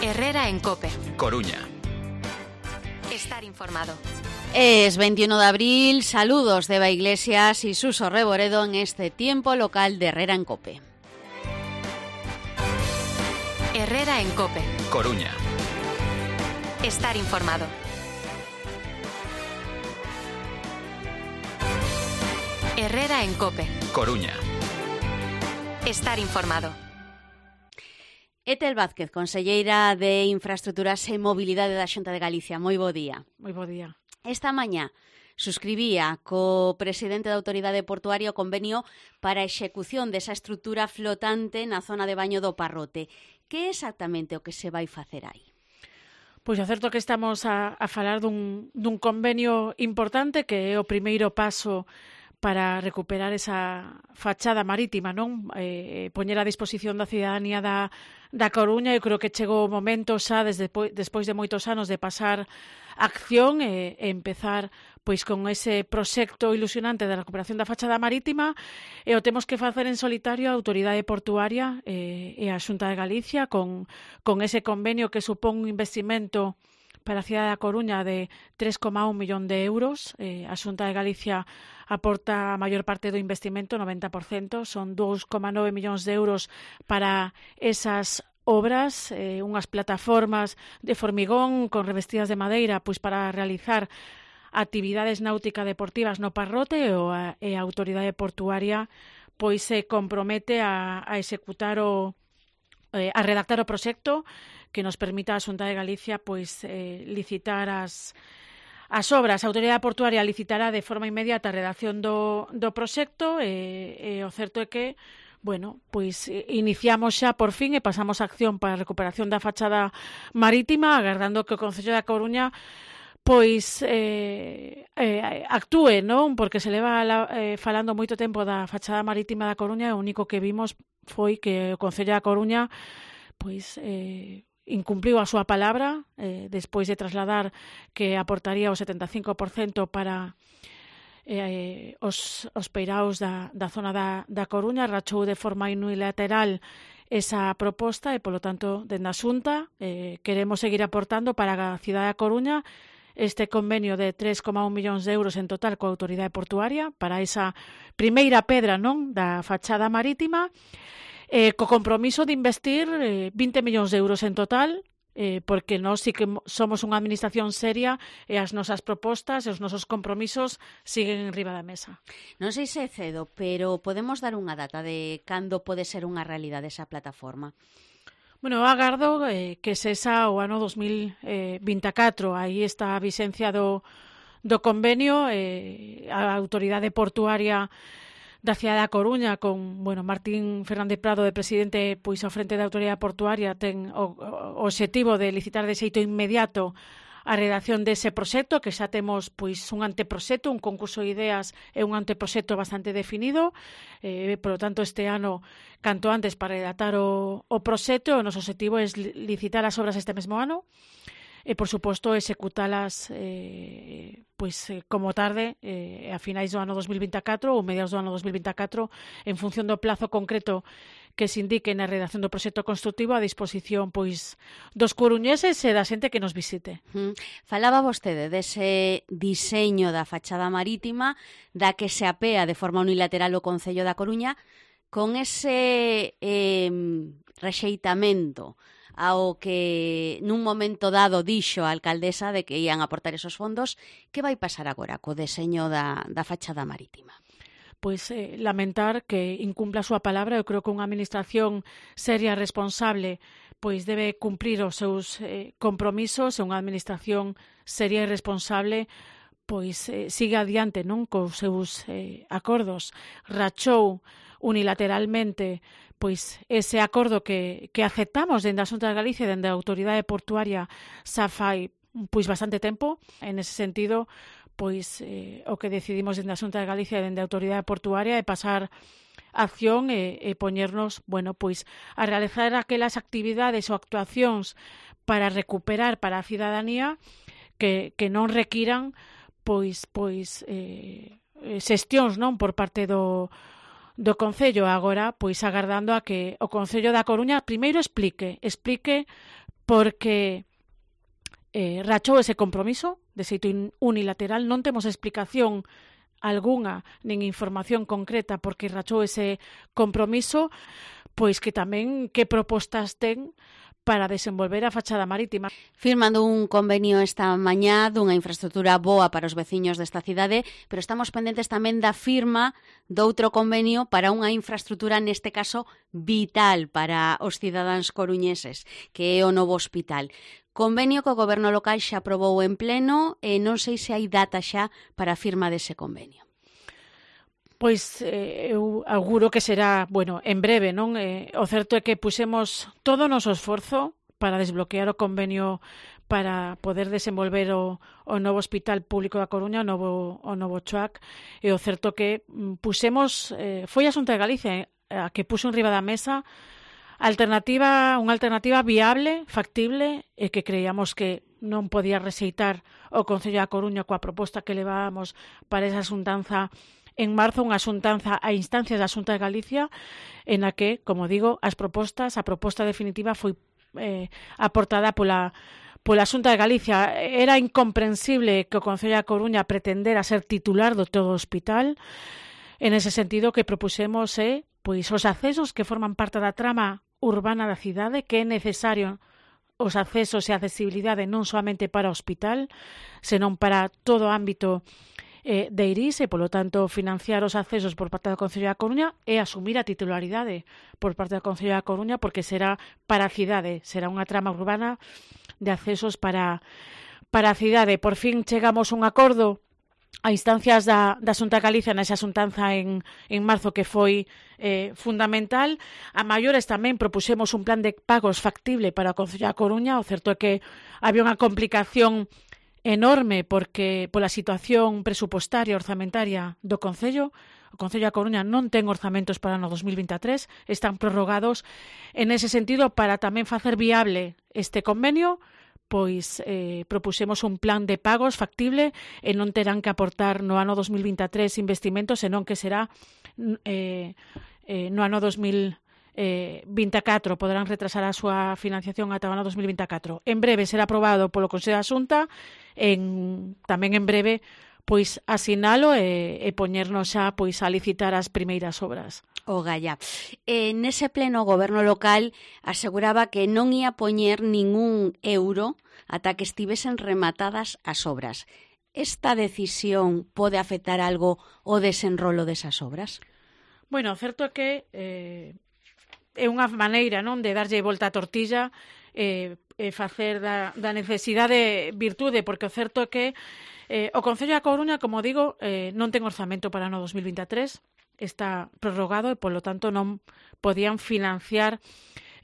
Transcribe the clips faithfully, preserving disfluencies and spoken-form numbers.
Herrera en Cope. Coruña. Estar informado. Es veintiuno de abril, saludos de Eva Iglesias y Suso Reboredo en este tiempo local de Herrera en Cope. Herrera en Cope. Coruña. Estar informado. Herrera en Cope. Coruña. Estar informado. Etel Vázquez, conselleira de Infraestructuras e Mobilidade da Xunta de Galicia. Moi bo día. Moi bo día. Esta mañá suscribía co presidente da Autoridade Portuaria o convenio para a execución desa estrutura flotante na zona de baño do Parrote. Que é exactamente o que se vai facer aí? Pois é certo que estamos a, a falar dun, dun convenio importante que é o primeiro paso para recuperar esa fachada marítima, non? Eh, poñer a disposición da cidadanía da, da Coruña. Eu creo que chegou o momento xa desde, despois de moitos anos de pasar acción e, e empezar pois con ese proxecto ilusionante da recuperación da fachada marítima, e o temos que facer en solitario a Autoridade Portuaria e, e a Xunta de Galicia con, con ese convenio que supón un investimento para a cidade da Coruña de tres coma un millón de euros. Eh, a Xunta de Galicia aporta a maior parte do investimento, noventa por cento, son dous coma nove millóns de euros para esas obras, eh, unhas plataformas de formigón con revestidas de madeira, pois para realizar actividades náuticas deportivas no Parrote, ou a, e a Autoridade Portuaria pois se compromete a, a executar o eh, a redactar o proxecto que nos permita a Xunta de Galicia pois eh, licitar as as obras. A Autoridade Portuaria licitará de forma inmediata a redacción do, do proxecto e, e o certo é que, bueno, pois iniciamos xa por fin e pasamos a acción para a recuperación da fachada marítima, agardando que o Concello da Coruña pois eh, eh, actúe, non? Porque se leva eh, falando moito tempo da fachada marítima da Coruña e o único que vimos foi que o Concello da Coruña pois eh, incumpliu a súa palabra eh, despois de trasladar que aportaría o setenta e cinco por cento para eh, os, os peiraos da, da zona da, da Coruña, rachou de forma unilateral esa proposta e, polo tanto, dende a Xunta eh, queremos seguir aportando para a cidade da Coruña este convenio de tres coma un millóns de euros en total coa Autoridade Portuaria para esa primeira pedra, non, da fachada marítima, eh, co compromiso de investir eh, vinte millóns de euros en total, eh, porque nós sí que somos unha administración seria e as nosas propostas e os nosos compromisos siguen en riba da mesa. Non sei se é cedo, pero podemos dar unha data de cando pode ser unha realidade esa plataforma? Bueno, agardo eh, que sexa o ano dos mil vinte e catro. Aí está a vixencia do, do convenio. Eh, a Autoridade Portuaria da cidade da Coruña con, bueno, Martín Fernández Prado de presidente, pois ao frente da Autoridade Portuaria ten o, o obxectivo de licitar de xeito inmediato a redacción dese proxecto, que xa temos pois un anteproxecto, un concurso de ideas e un anteproxecto bastante definido. Eh, por lo tanto, este ano, canto antes para redactar o, o proxecto, o noso objetivo é licitar as obras este mesmo ano e, por suposto, executalas eh, pois, eh, como tarde eh, a finais do ano dos mil vinte e catro ou mediados do ano dos mil vinte e catro, en función do plazo concreto que se indique na redacción do proxecto constructivo a disposición pois dos coruñeses e da xente que nos visite. Mm. Falaba vostede dese diseño da fachada marítima da que se apea de forma unilateral o Concello da Coruña con ese eh, rexeitamento ao que nun momento dado dixo a alcaldesa de que ían aportar esos fondos. Que vai pasar agora co deseño da, da fachada marítima? Pois eh, lamentar que incumpla a súa palabra. Eu creo que unha administración seria e responsable pois debe cumprir os seus eh, compromisos, e unha administración seria e responsable pois eh, sigue adiante, non, cos seus eh, acordos. Rachou unilateralmente pois ese acordo que, que aceptamos dende a Xunta de Galicia e dende a Autoridade Portuaria xa fai pois bastante tempo. En ese sentido, pois eh, o que decidimos dende a Xunta de Galicia e dende a Autoridade Portuaria é pasar acción e, e poñernos, bueno, pois a realizar aquelas actividades ou actuacións para recuperar para a cidadanía que, que non requiran pois pois eh, xestións, non, por parte do do Concello. Agora, pois agardando a que o Concello da Coruña primeiro explique, explique porque eh, rachou ese compromiso de xeito unilateral, non temos explicación algunha, nin información concreta porque rachou ese compromiso, pois que tamén que propostas ten para desenvolver a fachada marítima. Firmando un convenio esta mañá dunha infraestructura boa para os veciños desta cidade, pero estamos pendentes tamén da firma doutro convenio para unha infraestructura, neste caso, vital para os cidadáns coruñeses, que é o novo hospital. Convenio que o Goberno local xa aprobou en pleno e non sei se hai data xa para a firma dese convenio. Pois eh, eu auguro que será, bueno, en breve, non? Eh, o certo é que pusemos todo o noso esforzo para desbloquear o convenio para poder desenvolver o, o novo Hospital Público da Coruña, o novo, o novo CHOAC, e o certo que pusemos, eh, foi a Xunta de Galicia a que puxo en riba da mesa alternativa, unha alternativa viable, factible, e que creíamos que non podía rexeitar o Concello da Coruña coa proposta que levábamos para esa xuntanza en marzo, unha xuntanza a instancias da Xunta de Galicia, en a que, como digo, as propostas, a proposta definitiva foi eh, aportada pola, pola Xunta de Galicia. Era incomprensible que o Concello da Coruña pretendera ser titular do todo o hospital. En ese sentido, que propusemos é pois, os accesos que forman parte da trama urbana da cidade, que é necesario os accesos e a accesibilidade non somente para o hospital, senón para todo o ámbito Eh, de Iris e, polo tanto, financiar os accesos por parte do Concello da Coruña e asumir a titularidade por parte do Concello da Coruña, porque será para a cidade, será unha trama urbana de accesos para, para a cidade. Por fin chegamos a un acordo a instancias da, da Xunta de Galicia nesa xuntanza en, en marzo, que foi eh, fundamental. A maiores tamén propuxemos un plan de pagos factible para o Concello da Coruña. O certo é que había unha complicación enorme porque pola situación presupostaria orzamentaria do Concello. O Concello da Coruña non ten orzamentos para o ano dos mil vinte e tres, están prorrogados. En ese sentido, para tamén facer viable este convenio, pois eh, propuxemos un plan de pagos factible e non terán que aportar no ano dos mil vinte e tres investimentos, senón que será eh, eh, no ano dos mil vinte e catro, poderán retrasar a súa financiación ata o ano dos mil vinte e catro. En breve será aprobado polo Consello da Xunta, en, tamén en breve pois asinalo e, e poñernos xa pois a licitar as primeiras obras. O Galla. Eh, nese pleno o Goberno local aseguraba que non ia poñer ningún euro ata que estivesen rematadas as obras. Esta decisión pode afectar algo o desenrolo desas obras? Bueno, o certo é que eh, é unha maneira, non, de darlle volta a tortilla e eh, eh, facer da, da necesidade virtude, porque o certo é que eh, o Concello da Coruña, como digo, eh, non ten orzamento para o ano dos mil vinte e tres, está prorrogado e, polo tanto, non podían financiar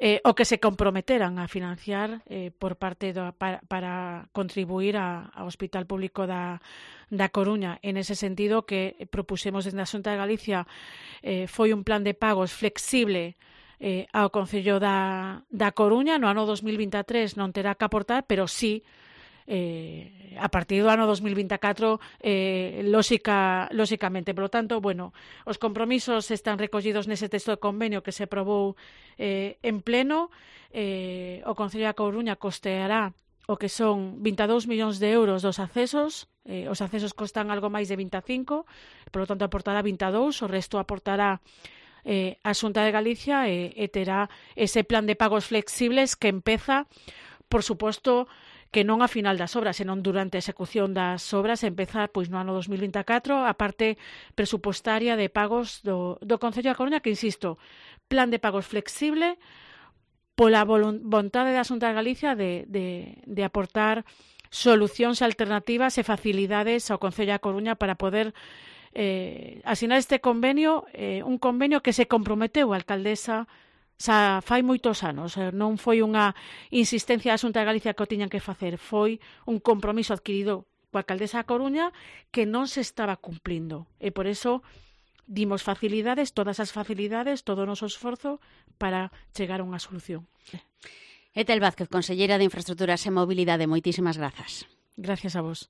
eh, o que se comprometeran a financiar eh, por parte do, para, para contribuir a, ao Hospital Público da, da Coruña. En ese sentido, que propusemos desde a Xunta de Galicia eh, foi un plan de pagos flexible Eh, ao Concello da, da Coruña. No ano dos mil vinte e tres non terá que aportar, pero sí eh, a partir do ano dos mil vinte e catro eh, lógica, lógicamente. Por lo tanto, bueno, os compromisos están recollidos nese texto de convenio que se aprobou eh, en pleno. Eh, o Concello da Coruña costeará o que son vinte e dous millóns de euros dos accesos. Eh, os accesos costan algo máis de vinte e cinco, por lo tanto aportará vinte e dous, o resto aportará Eh, a Xunta de Galicia e, e terá ese plan de pagos flexibles que empeza, por suposto, que non a final das obras, senón durante a execución das obras, empeza pois no ano dos mil vinte e catro a parte presupostaria de pagos do, do Concello da Coruña, que, insisto, plan de pagos flexible pola vontade da Xunta de Galicia de, de, de aportar solucións alternativas e facilidades ao Concello da Coruña para poder Eh, asinar este convenio, eh, un convenio que se comprometeu a alcaldesa xa fai moitos anos. Eh, non foi unha insistencia da Xunta de Galicia que o tiñan que facer, foi un compromiso adquirido coa alcaldesa da Coruña que non se estaba cumplindo. E por eso dimos facilidades, todas as facilidades, todo o noso esforzo para chegar a unha solución. Etel Vázquez, conselleira de Infraestructuras e Mobilidade, moitísimas grazas. Gracias a vos.